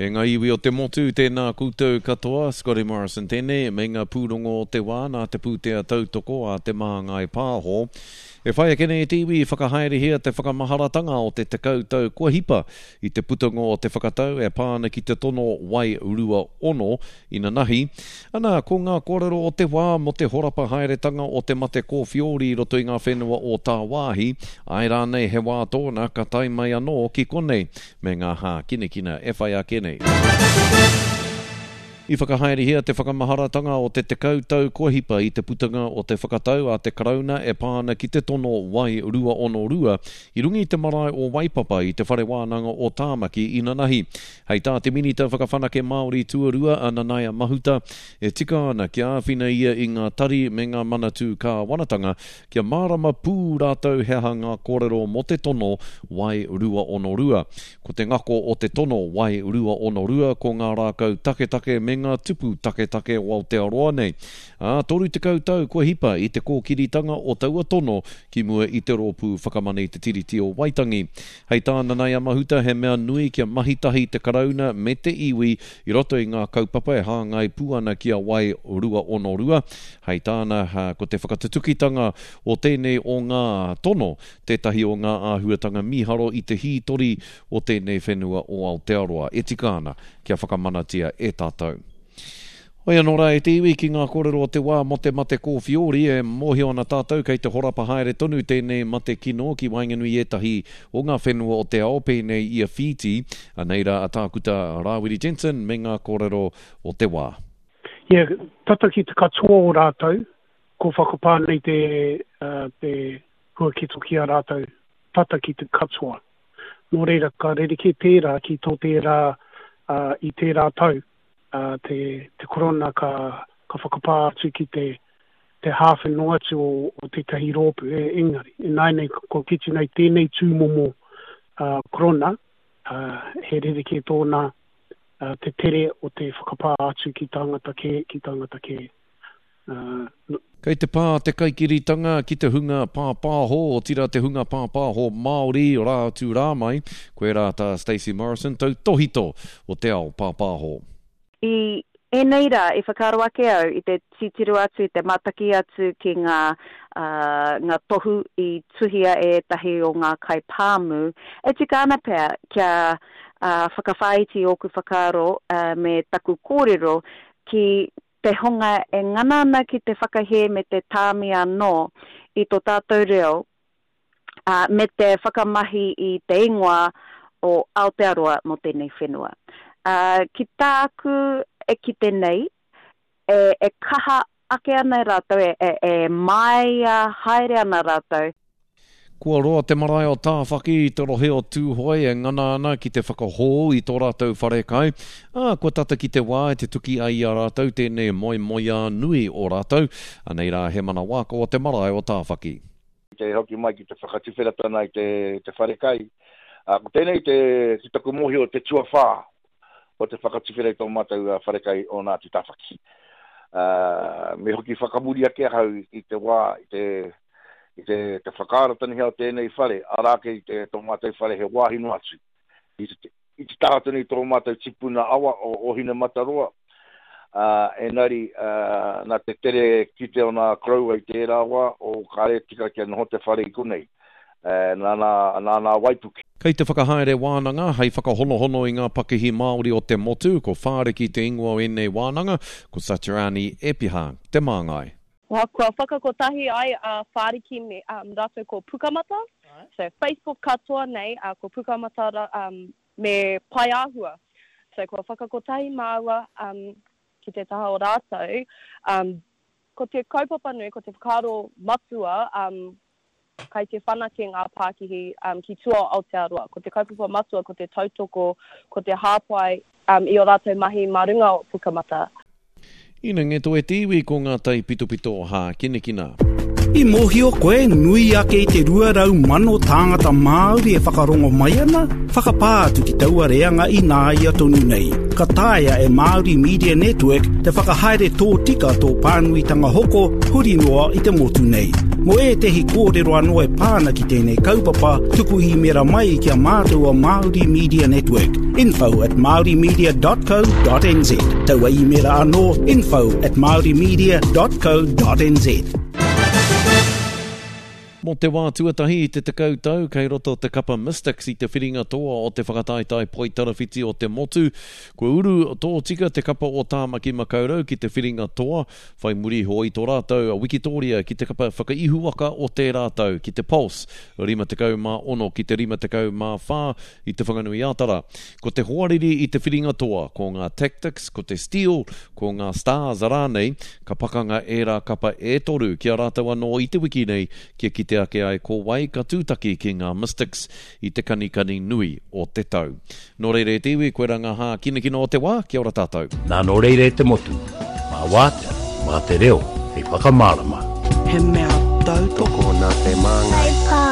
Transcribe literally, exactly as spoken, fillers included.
E ngā iwi o te motu, tēnā koutou katoa, Scotty Morrison tēnei, me ngā pūrongo o te wā nā te pūtea tautoko a Te Māngai Pāho. E whai ake nei te iwi whakahaerehia te whakamaharatanga o te tekau tau kua hipa i te putango o te whakatau e pā ana ki te tono wai rua ono inanahi. Ana, ko ngā kōrero o te wā mō te horapa haeretanga o te mate kōwhiori i roto i ngā whenua o tāwāhi, āe rānei he wā tōna ka tae mai anō ki konei me ngā hākinakina e whai ake nei. I whakahaerehia te whakamaharatanga o te tekau tau kua hipa i te putanga o te whakatau a te Karauna e pā ana ki te tono wai rua ono rua i runga i te marae o Waipapa i te Whare Wānanga o Tāmaki inanahi. Hei tā te Minita Whakawhanake Māori tuarua a Nanaia Mahuta, e tika ana kia āwhina ia i ngā tari me ngā manatū kāwanatanga kia mārama pū rātou he aha ngā kōrero mō te tono wai rua ono rua. Ko te ngako o te tono wai rua ono rua ko ngā rākau taketake me ngā tupu taketake o Aotearoa nei. Ā, toru tekau tau kua hipa i te kōkiritanga o taua tono ki mua i te rōpū whakamana i te Tiriti o Waitangi. Hei tā Nanaia Mahuta, he mea nui kia mahi tahi te Karauna me te iwi i roto i ngā kaupapa e hāngai pū ana ki a wai rua ono rua. Hei tāna, ko te whakatutukitanga o tēnei o ngā tono, tētahi o ngā āhuatanga mīharo i te hītori o tēnei whenua o Aotearoa. E tika ana kia whakamanatia e tātou. Hoi anō rā e te iwi ki ngā kōrero o te wā mō te mate kōwhiori, e mōhio ana tātou kei te horapa haere tonu tēnei mate kino ki waenganui i ētahi o ngā whenua o te ao pēnei i a Whītī. Anei rā a Tākuta Rāwiri Jensen me ngā kōrero o te wā. Yeah, tata ki te katoa o rātou, ko whakapā nei te, uh, te huaketo ki a rātou, tata ki te katoa. Nō reira, ka rerekē tērā ki tō tērā uh, i tērā tau. Uh, te, te korona ka, ka whakapā atu ki te, te hāwhe noa atu o, o tētahi rōpū, e, engari. E nai nei, ko kite nei tēnei tūmomo uh, korona, uh, he rerekē tōna uh, te tere o te whakapā atu ki tāngata kē, ki tāngata kē. Uh, Kei te pā te kaikiritanga ki te hunga pāpāho, otirā te hunga pāpāho Māori rā atu rā mai, koe rā tā Stacey Morrison tautohito o te ao pāpāho. I ēnei rā, i whakaaro ake au i te titiro atu, i te mataki atu ki ngā, uh, ngā tohu i tuhia e ētahi o ngā kaipāmu, e tika ana pea kia uh, whakawhāiti ōku whakaaro uh, me taku kōrero ki te hunga e ngana ana ki te whakahē me te tāmi anō i tō tātou reo, uh, me te whakamahi i te ingoa o Aotearoa mō tēnei whenua. Uh, ki tāku e kite nei, e, e kaha ake ana rātou, e, e, e māia haere ana rātou. Kua roa te marae o Tāwhaki i te rohe o Tūhoe e ngana ana ki te whakahou i tō rātou wharekai. Ā, kua tata ki te wā e te tuki ai i a rātou tēnei moemoeā nui o rātou. Anei rā he mana wāka o te marae o Tāwhaki. Te hoki mai ki te whakatuwheratana i te, te wharekai. Ā, ko tēnei te, te taku mōhio te tuawhā o te whakatuwhera i tō mātou wharekai o Ngāti Tāwhaki. Uh, me hoki whakamuri ake ahau i te wā, i te, i te, te whakaarataniha o tēnei whare, arā ke i te tō mātou whare he wāhi noa atu. I te, i te taha tonu i tō mātou tipuna awa o Ohinemataroa, uh, enari uh, nā te tere kite o nā koroua i tērā wā, o kāre tika kia noho te whare i konei. Uh, nā, nā, nā, nā waipuke. Kei te whakahaere wānanga hei whakahonohono i ngā pakihi Māori o te motu, ko Whāriki te ingoa o ēnei wānanga, ko Saturani Epiha te māngai. Well, kua whakakotahi ai a Whāriki me um, rātou ko Pukamata. Right. So Facebook katoa nei, uh, ko Pukamata um, me Paeāhua. So kua whakakotahi māua um, ki te taha o rātou. Um, ko te kaupapa nui, ko te whakaaro matua, um, kai te whanake ngā pākihi um, ki tua o Aotearoa. Ko te kaupapa matua, ko te tautoko, ko te hāpai um, i o rātou mahi mā runga o Pukamata. Ina ngeto e te iwi ko ngā taipitopito hākinakina. I mōhio koe nui ake i te rua rau mano tāngata Māori e whakarongo mai ana, whakapā atu ki taua reanga i nāia tonu nei. Ka taea e Māori Media Network te whakahaere tō tika tō pānuitanga hoko huri noa i te motu nei. Mō ētehi kōrero anō e pā ana ki tēnei kaupapa, tuku īmera mai ki a mātou o Māori Media Network, info at maorimedia dot co dot nz. Taua īmera anō, info at maorimedia dot co dot nz. Mō te wā tuatahi i te tekau tau, kei roto te kapa Mystics i te whiringa toa o te whakataetae poitarawhiti o te motu. Kua uru tōtika te kapa o Tāmaki Makaurau ki te whiringa toa, whai muri iho i tō rātou wikitoria ki te kapa whakaihuwaka o tērā tau ki te Pulse, rima tekau mā ono ki te rima tekau mā whā i te Whanganui-ā-Tara. Ko te hoariri i te whiringa toa, ko ngā Tactics, ko te Steel, ko ngā Stars rānei, ka pakanga ērā kapa e toru ki a rātou anō i te wiki nei kia kite ake ai ko wai ka tūtaki ki ngā Mystics i te kanikani nui o te tau. Nō reira e te iwi, koe rā ngā hākinakina o te wā, kia ora tātou. Nā nō reira e te motu, mā wātea, mā te reo, hei whakamārama. He mea tautoko nā te māngai.